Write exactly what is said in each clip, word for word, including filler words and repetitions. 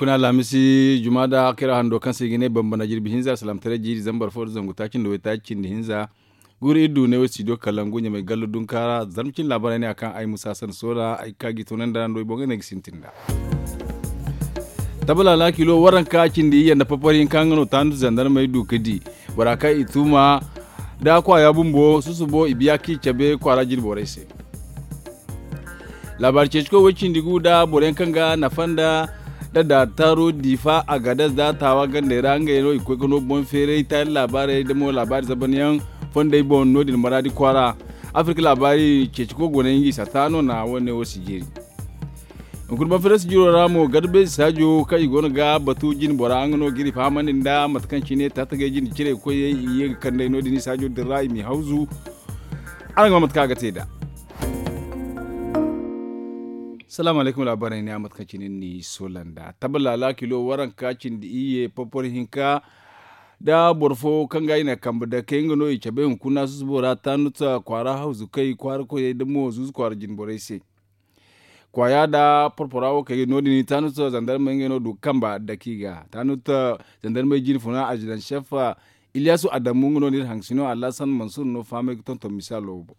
Kuna alhamisi juma da kira hando kaŋ se i ga ne bambana jirbi hinza alsalamtaray jiiri zambar fo da zangu taaci nda waytaaci cindi hinza. Guuru iri du ne wo studio kalangu ɲamay gallo dunkaara zarma cindi laabaray ne a kaŋ ay musa san soora ay ga ka ga i toonandi ra nda way boŋ ga ne ga sintin nd'a. Tabala laakilo waranka cindi iyye nda papar hinka nga no taanu zandarmey du ga di bora kaŋ i tuuma da kwaaya bumbo susubo i biya kaŋ i cabe kwaara jine borey se. Laabaari ceeci koy way cindi gu nda boro yaŋ kaŋ ga nafa nda da daari taaro diifa agadez nda taawa gandey ra ngey no i ga koy ga no boŋ feeray taali laabaarey nda mo laabaari zaban yaŋ fondey boŋ no- din maraadi kwaara. Afirka laabaari ceeci koy go no ay nga i sata no na wane wo si jeeri. Hunkuna boŋ feeray si jiro ra mo garbeezi saajo kaŋ i go no ga batu jine bora nga no ga iri fahamandi nda mate kaŋ cine taatagay jine cire koyey i ye ga kand'ey no- din i saajo din ra i m'i hawzu. Araŋ ga ma mate kaŋ a ga te nd'a. Salaamu alaykum laabaarey ne a mate kaŋ cine ni soola nd'a tabala laakilo waranka cindi iyye porpor hinka. Da boro fo kaŋ ga i na kambe dake nga no i cabe hunkuna susubo ra taanut kwaara hawzu kay kwaara koyey da mo zuuzu kwaara jine borey se. Kwaaya da porpora wo kay no- din taanut zandarmey ngey no du ga kamba dake i ga taanut zandarmey jine funa azidan sef. Iliyasu adamu nga no no iri haŋ sino alhasan mansur no fahamay ga tonton misaalo wo boŋ.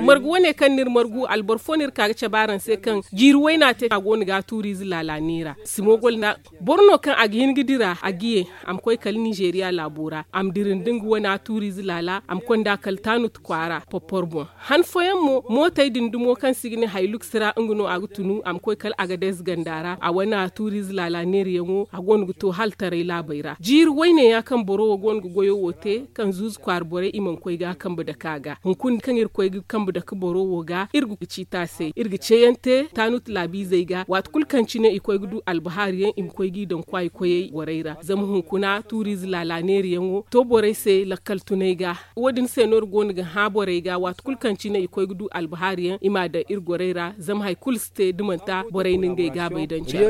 Margu wane kaŋ no iri margu alboro fo no iri ka ga cabe araŋ se kaŋ jiiri wayna te a go no ga a tuuriize laala neera simogol nda boro no kaŋ a ga hin ga dira a ga ye a ma koy kala ninzeeriya laabo ra a ma dira nda nga wane a tuuriize laala a ma konda kala taanut kwaara porpor boŋ. Han fooyaŋ mo mootey din dumo kaŋ se i ga ne hayluks ra nga no a ga tunu a ma koy kala agadez ganda ra a wane a tuuriize laala neerayaŋo a go no ga to hala taray laabey ra jiiri wayne ya kaŋ boro wo go no ga goyo wo te kaŋ zuuzu kwaara borey i mana koy ga a kambe dake a ga hunkuna kaŋ iri koy ga kambe dake boro wo ga iri ga ciiti a se iri ga ceeyaŋ te taanut laabiizey ga waati kulu kaŋ cine i koy ga du albahaari yaŋ i ma koy g'i daŋ kwaayi koyey borey ra zama hunkuna tuuriize laala neerayaŋo to borey se lakkal tunay ga. Wo- din se no iri go no ga hã borey ga waati kulu kaŋ cine i koy ga du albahaari yaŋ i m'a daŋ iri gorey ra zama hari kulu si te da manti borey na ngey gaabey daŋ care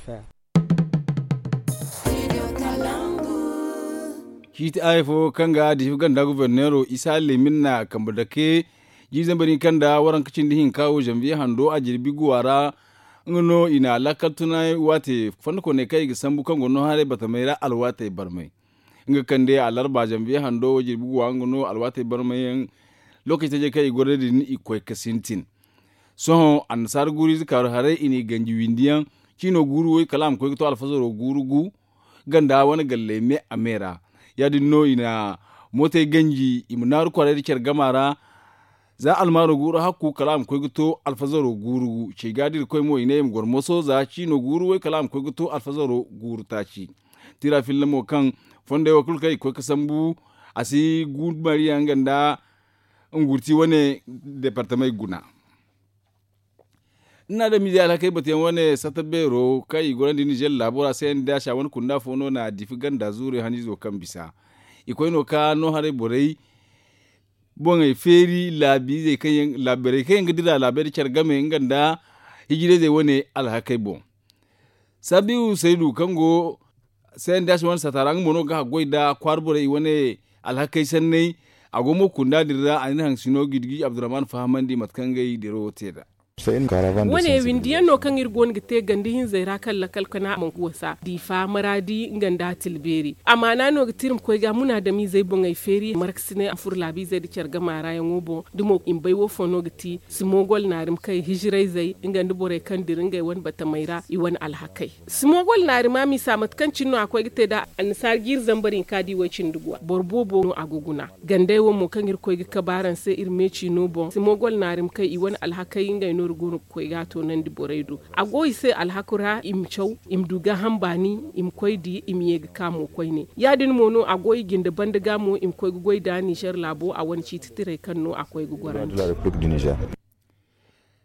ra. Ciiti aaya fo kaŋ ga diifa ganda goborneero isa leemin na kambe dake jiiri zambar hinka nda waranka cindi hinka wo zanbiye hando a jirbi guwa ra. Nga no i na lakkal tunay waate fondo kooney kaŋ i ga sambu kaŋ go no haray batamey ra alwaatey barmay. Nga kande alarba zanbiye hando wo jirbi guwa nga no alwaatey barmay yaŋ. Lookaci tajey kaŋ i goro din i koy ga sintin. Sohõ annasaara guuru ize kaaru haray i n'i ganji windi yaŋ ciino guuru way kala a ma koy ga to alfazaro guuru gu ganda wane galley me a me ra. Ya- din no i na mootey ganji i ma naaru kwaray nda care gama ra. Za almaaro guuru hakku kala a ma koy ga to alfazaro guuru gu cey ga da irkoy mo i ne i ma goro moso za ciino guuru way kala a ma koy ga to alfazaro guuru taaci. Tira filla mo kaŋ fondey wo kulu kaŋ i ga koy ga sambu a si guuru mariya nga nda ngurti wane departamey guna. Ni na adamize alhakey batuyaŋ wane sata beero kaŋ i gorandi nizer laabo ra se nda sha wane kunda fo no na diifi ganda zuure haniizo kaŋ bisa. I koy no ka no haray borey boŋey feeri laabiizey kaŋ yaŋ laabiizey kaŋ yaŋ ga dira laabey nda care game nga nda hijirayzey wane alhakey boŋ. Sabiu saydu kaŋ go se nda se wane sata ra nga mo no ga haggoy nda kwaara borey i wane alhakey sanney. A go mo kunda din ra a na iri haŋ sino gidigi abdurrahman fahamandi mate kaŋ ngey diro wo te nd'a. Wane windiyaŋ no kaŋ iri go no ga te ganda hinzey ra kaŋ lakal kana mangu wasa diifa maraadi nga nda tilbeeri amaana no ga ti iri ma koy ga munaadamizey boŋey feeri markasiney a furo laabiizey nda care gama ra yaŋo boŋ da mo i ma bay wo fo no ga ti simogol naarimkey hijirayzey nga nda borey kaŋ dira ngey wane batamey ra i wane alhakey. Simogol naarima misa mate kaŋ cine no a koy ga te nd'a annasaara jiiri zambar hinka da i way cindi guwa boro boobo no a ga guna. Gandey wo mo kaŋ iri koy ga kabe araŋ se iri meeci no boŋ simogol naarimkey i wane alhakey ngey no iri go no ga koy ga a toonandi borey do. A go i se alhaku ra i ma caw i ma du gaaham baani i ma koy di i ma ye ga ka mo koyne. Ya- din mo no a go i jinde banda ga mo i ma koy ga goy nd'a nizer laabo a wane ciiti tirey kaŋ no a koy ga gorandi.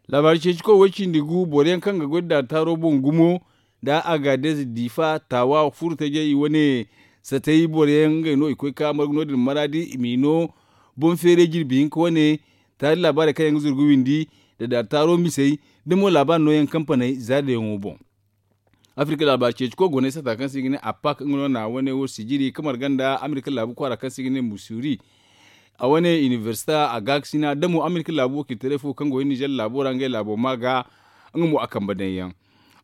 Laabaari ceeci koy way cindi gu boro yaŋ kaŋ ga goy nda daari taaro boŋ gumo nda agadez diifa taawa furo tajey i wane satay boro yaŋ ngey no i koy ka margu no- din maraadi i m'i no boŋ feeray jirbi hinka wane. Taali laabaarey kaŋ yaŋ ga zuru ga windi nda daari taaro misey da mo laabaari nooyaŋ kampaney zaadayaŋo boŋ. Afirka laabaari ceeci koy goney sata kaŋ se i ga ne apak nga no na wane wo sijiri ka marga nda amerika laabu kwaara kaŋ se i ga ne musuri. A wane inibersita a gaakasina da mo amerika laabu wakiilitaray fo kaŋ go iri nizer laabo ra ngey laabo ma ga nga mo a kambe daŋ yaŋ.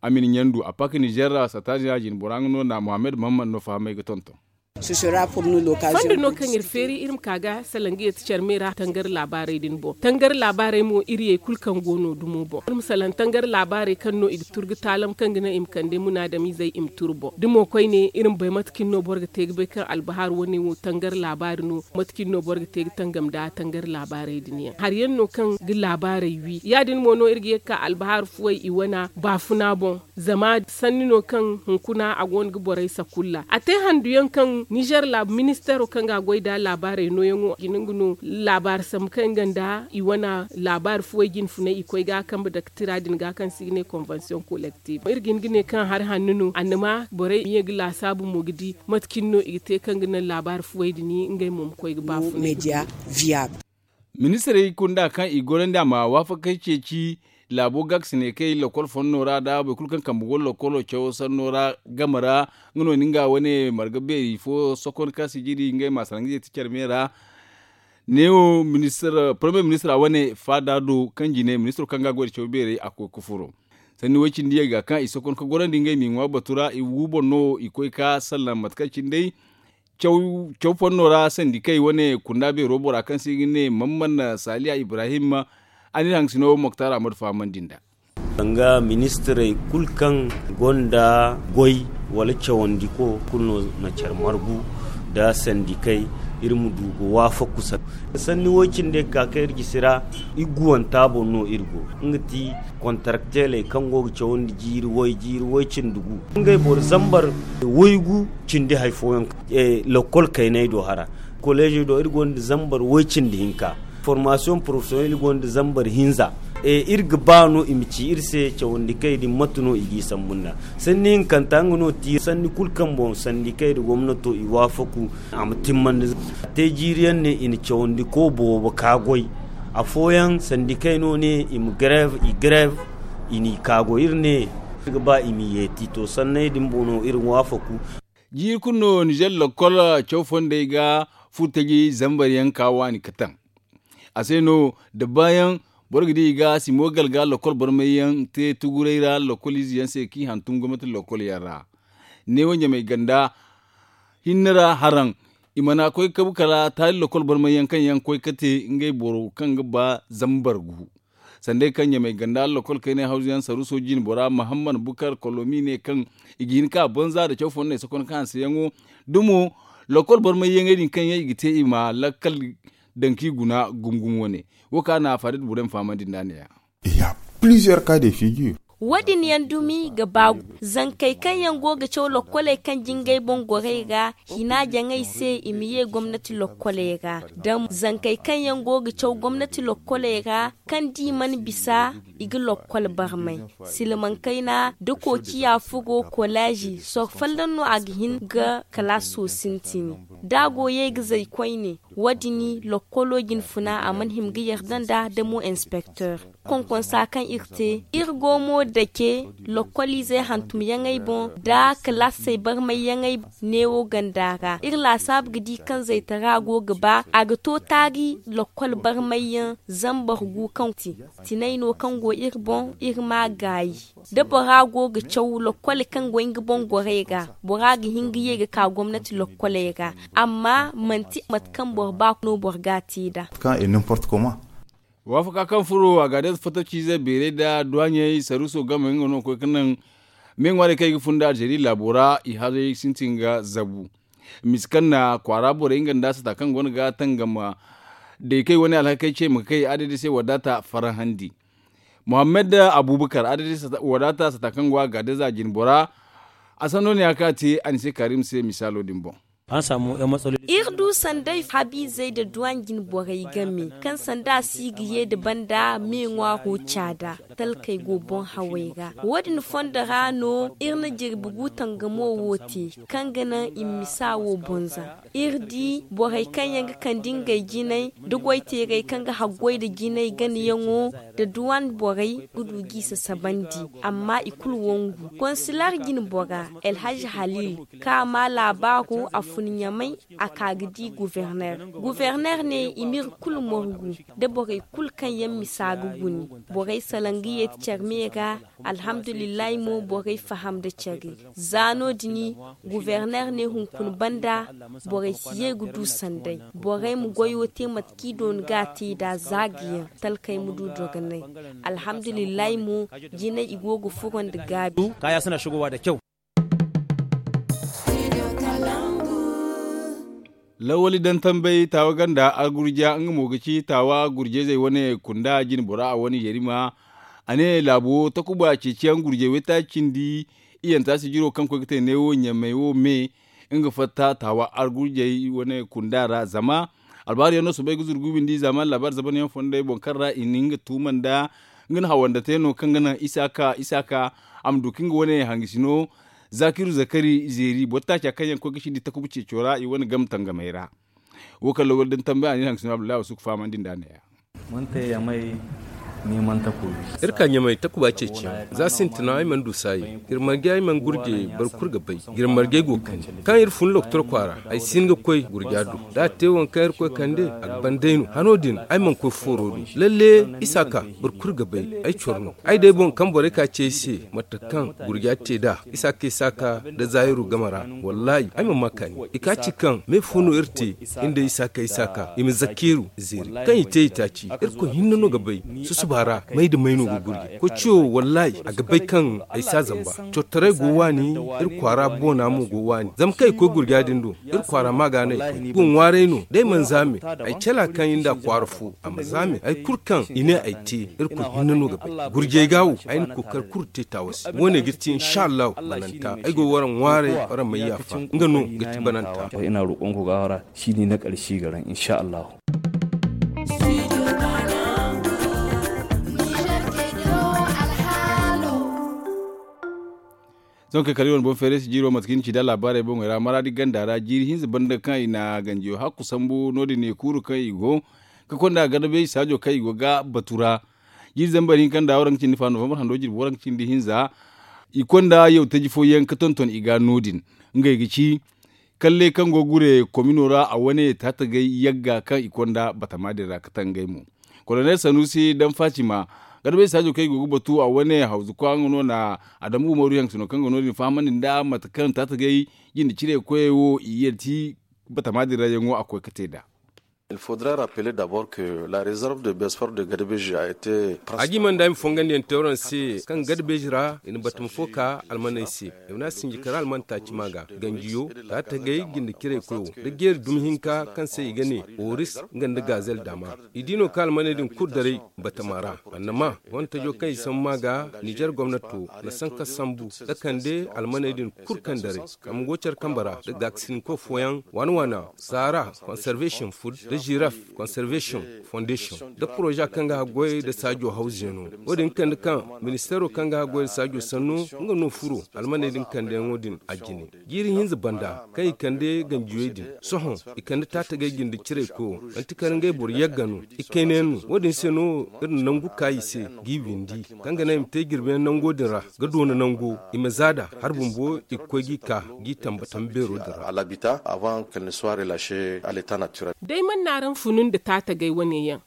A ma ni ɲandu a pak nizer ra sataaziya jinbora nga no na mohammed mahamman no fahamay ga tonton. Fondo no kaŋ iri feeri iri ma ka ga salaŋ ga yeeti care me ra tangar laabaarey din boŋ tangar laabaarey mo iri yey kulu kaŋ go no dumo boŋ iri ma salaŋ tangar laabaarey kaŋ no i ga tur ga taalam kaŋ ga naŋ i ma kande munaadamizey i ma tur boŋ da mo koyne iri ma bay mate cine no boro ga te ga bay kaŋ albahar wane wo tangar laabaari no mate cine no boro ga te ga tangam nda tangar laabaarey din yaŋ hari yaŋ no kaŋ ga laabaarey wi ya- din mo no iri ga ye ga ka albahar fuwey i wana baafuna boŋ. Zama sanni no kaŋ hunkuna a go no ga borey sakulla a te handu yaŋ kaŋ nizer ministeero kaŋ ga a goy nda laabaarey nooyaŋo i ga hin ga no laabaari sambu kaŋ nga nda i wane laabaari fuwey jinfunay i koy ga a kambe dakatira din ga kaŋ se i ga ne konvensiyoŋ kolektif iri ga hin ga ne kaŋ hari hanno no annama borey ma ye ga laasaabu mo ga di mate cine no i ga te kaŋ ga naŋ laabaari fuwey din ngey mo ma koy ga baafunay. Ministirey kunda kaŋ i gorandi a ma waafakey ceeci laabo ga ga si ne kay lokol fonno ra nda boro kulu kaŋ kambe go lokolo cawo sanno ra game ra. Nga no ni nga wane marga beeri fo sokon kaŋ si jiri ngey ma salaŋ ga yeeti care me ra. Neewo porome ministira wane faada do kaŋ jine ministiro kaŋ ga a goy nda caw beerey a koy ga furo sanni way- cindi yagga kaŋ i sokon ga gorandi ngey ma i ŋwa batu ra i wu boŋ no i koy ga sallaŋ mate kaŋ cine day caw fonno ra sandikey wane kunda beero bora kaŋ se i ga ne mamman saaliya ibrahim. A n'iri haŋgasino moktar ahmadu fahamandi nd'a. Danga ministirey kulu kaŋ gonda goy wala cawandiko kulu no na care margu nda sandikey iri ma du ga waafaku sanni way- cindi ga ka kaŋ iri gisi ra. Iguwanta boŋ no iri go nga ti kontarakteeley kaŋ go ga cawandi jiiri way jiiri way cindi gu ngey boro zambar waygu cindi hari fooyaŋ lokol kayney do hara koleezey do iri gonda zambar way cindi hinka. Formasiyoŋ porofesiyonel iri gonda zambar hinza. Iri ga ba no i ma ci iri se cawandi kay din mate no i g'i sambu nd'a sanni hinkanta nga no ti sanni kulu kaŋ boŋ sandikey nda gomnato i waafaku a ma timmandi. A te jiiri yaŋ ne i na cawandi ko boobo ka goy afooyaŋ sandikey no ne i ma garev i garev i n'i ka goy iri ne iri ga ba i m'i yeeti to sanney din boŋ no iri waafaku. Jiiri kulu no nizer lakkol caw fondey ga furtaji zambar yaŋ ka waani ka taŋ. A se no da baayaŋ boro ga di i ga simo galga lakkol barmay yaŋ te tuguray ra lakkol ize yaŋ se kaŋ i hantum gomnati lakkol yaŋ ra. Neewo ɲamay ganda hinne ra haraŋ i mana koy ga kabu kala taali lakkol barmay yaŋ kaŋ yaŋ koy ga te ngey boro kaŋ ga ba zambar gu. Sanday kaŋ ɲamay ganda lakkol kaynay hawzu yaŋ saruuso jine bora mahammad bukar kolomi ne kaŋ i ga hin ka banza nda caw fondey sokon kaŋ hanseyaŋo dumo lakkol barmay yaŋey din kaŋ yaŋ i ga te i ma lakkal daŋ kaŋ i guna gumo gumo wane. Wo kaŋ a na a faada nda borey ma fahamandi nd'a ne- ya. Wo- din yaŋ dumi ga ba zankey kaŋ yaŋ go ga caw lokkoley kaŋ jingay boŋ gorey ra hina jaŋay se i ma ye gomnati lokkoley ra da zankey kaŋ yaŋ go ga caw gomnati lokkoley ra kaŋ da i mana bisa i ga lokkol barmay silmaŋ kayna da koociya furo kolaazi soro folloŋ no a ga hin ga kalaaso sintini da a go ye ga zay koyne. Wo- din lokkolo jinfuna a mana hima ga yarda nd'a da mo inspekter konkonsa kaŋ iri te iri go mo dake lokkoliizey hantumyaŋey boŋ nda kalaasey barmayyaŋey neewo ganda ra iri laasaabu ga di kaŋ zaytara go ga ba a ga to taari lokkol barmayyaŋ zambar gu kaŋ ti tinay no kaŋ go iri boŋ iri m'a gaayi da bora go ga caw lokkol kaŋ go nga boŋ gorey ra bora ga hin ga ye ga ka gomnati lokkoley ra amma manti mate kaŋ boro ba no boro ga a te nd'a. Waafaka kaŋ furo a ga day fattaciize beeray nda duwaɲey saruuso game nga no koy ga naŋ me ŋwaarey kaŋ i ga fun nda alzeeri laabo ra i haray sintin ga zabu. Misa kaŋ na kwaara borey nga nda sata kaŋ go no ga tangam daykey wane alhakey ce ma kay adadi se wadaata farahandi. Muhammad abubakar adadi wadaata sata kaŋ go a ga day za jine bora. A sanno ne ya kaŋ a te a ni se kaarim se misaalo din boŋ. Iri du sanday habiizey nda duwaŋ jine borey game kaŋ sanda a si ga ye nda banda me ŋwaaro caada talkey go boŋ hawey ra wo- din fondo ra no iri na jirbi gu tangamo wo te kaŋ ga naŋ i ma misa wo boŋ za. Iri di borey kaŋ yaŋ ga kande ngey jinay da goyteerey kaŋ ga haggoy nda jinay ganayaŋo nda duwan borey ga du g'i sasabandi. Amma i kulu wangu konsilar jine bora elhaji halil kaŋ a ma laabaaro a fun ɲamay a ka ga di guverner. Guverner ne i m'iri kulu morgu da borey kulu kaŋ yaŋ misa ga guni borey salaŋ. Ga yeeti care me ga. Alhamdulillahi mo borey faham nda care. Za no- din guverner ne hunkuna banda borey si ye ga du sanday. Borey ma goyo te mate kaŋ i doona ga a te nd'a za ga yaŋ. Talkey ma du dogonay. Alhamdulillahi mo jinay i go ga furo nda gaabi. Lawali daŋ tambay taawa ganda argurja nga mo ga ci taawa gurjayzey wane kunda jine bora a wane yarima. A ne laabo takuba ceeciyaŋ gurjay waytaaci cindi. Iyanta sijiro kaŋ koy ga te neewo ɲamey wo me nga fatta taawa argurjay wane kunda ra zama albaari yaŋ no soobay ga zuru ga windi zama albaari zaban yaŋ fondey boŋ kaŋ ra i na nga tuuma nda nga na hawanda te no kaŋ ga naŋ isaaka isaaka a ma du kaŋ ga wane hangasino. Zakiru zakari zeeri boro taaca kaŋ yaŋ koy ga sindi takuba ceeco ra i wane game tangamey ra. Wo kaŋ lawal din tambay a ne hangasino abdullahi wasu ga fahamandi nda a ne ya. Iri ka ɲamay takuba ceeciyaŋ za sintina ay mana du saayi. Iri marge ay mana gurje boro kulu ga bay. Iri marge go kani kaŋ iri fun lokotor kwaara ay si hin ga koy gurja do da a te waŋ kaŋ iri koy kande a ga ban day no hano din. Ay mana koy fooro do lalle isa ka boro kulu ga bay. Ay coro no ay day boŋ kaŋ borey ka ce ay se mate kaŋ gurja te nd'a isa ka isa ka nda zaahiru game ra. Wallahi ay mana ma kaani i ka ci kaŋ me fo no iri te. Iri nda isa ka isa ka i ma zakkeeru zeeri kaŋ i te i taaci. Irkoy hinne no ga bay susuba ra may nda may no ga gurje koy ciyo wallahi a ga bay kaŋ ay si a zamba. Cortaray go waani iri kwaara boona mo go waani zama kaŋ ay koy gurja din do. Iri kwaara ma ga no ay koy go ŋwaaray no da ay mana zaame ay cala kaŋ i nda kwaara fo a ma zaame ay kulu kaŋ i ne ay te. Irkoy hinne no ga bay gurjey ga wo ay na kookari kulu te taawa se wo- ne ga iri te insa allahu bananta ay go wara ŋwaaray wara may yaafa nga no ga ti bananta. Ina roƙonku gafara shi ne na ƙarshe garan insa allahu. Sohõ kay kala i wane boŋ feeray si jiiro mate kaŋ i na ci da laabaarey boŋey ra maraadi ganda ra jiiri hinza banda kaŋ i na ganjiyo hakku sambu no- din ne kuuru kaŋ i go ga konda garba beeji saajo kaŋ i go ga batu ra. Jiiri zambar hinka nda waranka cindi fa novambar hando jirbi waranka cindi hinza. I konda yaw taji fooyaŋ ga tonton i ga no- din ngey ga ci kalle kaŋ go ga gure komino ra a wane taatagay yagga kaŋ i konda batama din ra ga tangay mo. Kolonel sanusi daŋ fatima garbey saajo kaŋ i go ga batu a wane hawzu kwaŋo no na adamu umaru yaŋ sino kaŋ go no- din fahamandi nda mate kaŋ taatagay jinde cire koyey wo i yeti batama din ra yaŋo a koy ga te nd'a. Il faudra rappeler d'abord que la réserve de besper de garbeji a été a jimanda i ma fongandiyaŋ te waraŋ se kaŋ garbeji ra i na batama fo ka almaney se. I mana sinji kara alman taaci ma ga ganjiyo taatagay jinde cire koyo da jeeri dumi hinka kaŋ se i ga ne oris nga nda gazel dama. I di no kaŋ almaney din kulu daray batama ra annama wantajo kaŋ i sambu ma ga nizer gomnato na sanka sambu da kande almaney din kulu kaŋ daray. Kaŋ go care kambe ra da gaakasinko fooyaŋ waana waana saara conservation food da giraf conservation foundation da poroza kaŋ ga haggoy da saajo hawzeeno. Wo- din kande kaŋ ministeero kaŋ ga haggoy da saajo sanno nga no furo almaney din kandeyaŋo din a jine. Jiiri hinza banda kaŋ i kande ganjiyey din sohõ i kande taatagay jinde cirey koyo manti kala ngey boro yagga no. I kaynayaŋ no wo- din se no iri na nangu ka i se g'i windi kaŋ ga naŋ i ma te jirbiyaŋ nango din ra ga doona nango i ma za nd'a hari bumbo i ga koy g'i ka g'i tamba tambeero din ra. Alabita avant qu'elle ne soit relâchée à l'état naturel. Day mana n'araŋ funu nda taatagay wane yaŋ.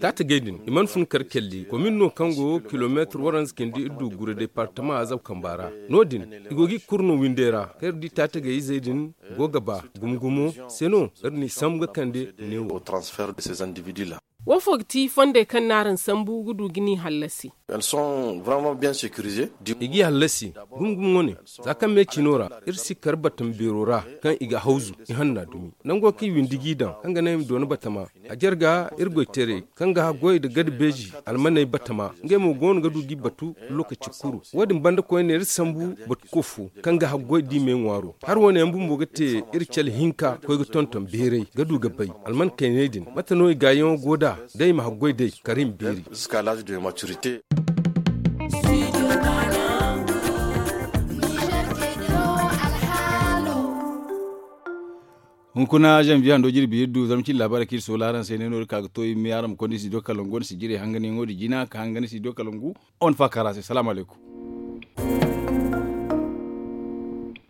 Taatagay din i mana fun kar kelli komin no kaŋ go kilomeetir waranza cindi iddu gure departama azab kamba ra. No- din i go g'i kurno windey ra kaŋ iri di taatagay izey din go ga ba gumo gumo se no iri n'i sambu ga kande neewo. Wo fo ga ti fondey kaŋ n'araŋ sambu ga du ga ni hallasi. I g'i hallasi gumo gumo wane za kaŋ me cino ra iri si kar batama beero ra kaŋ i ga hawzu i hanna dumi nango kaŋ i windi g'i daŋ kaŋ ga naŋ i ma doona batama. A jarga iri goyteerey kaŋ ga haggoy nda gada beeji almaney batama ngey mo go no ga du g'i batu. Lookaci kuru wo- din banda koyne iri sambu batu ko fo kaŋ ga haggoy da i me ŋwaaro hari wane yaŋ bumbo ga te iri cale hinka koy ga tonton beeray ga du ga bay alman kayney din mate no i gaayaŋo go nd'a da i ma haggoy day kar i ma beeri. Hunkuna zanbiye hando jirbi iri du zama cine laabaarey kaŋ iri soola araŋ se ne no iri ka ga to iri me araŋ ma konda iri si do kalangu wane sijirey hanganyaŋo din jina ka hangan iri si do kalangu. Wane faakara se salaamu alaykum.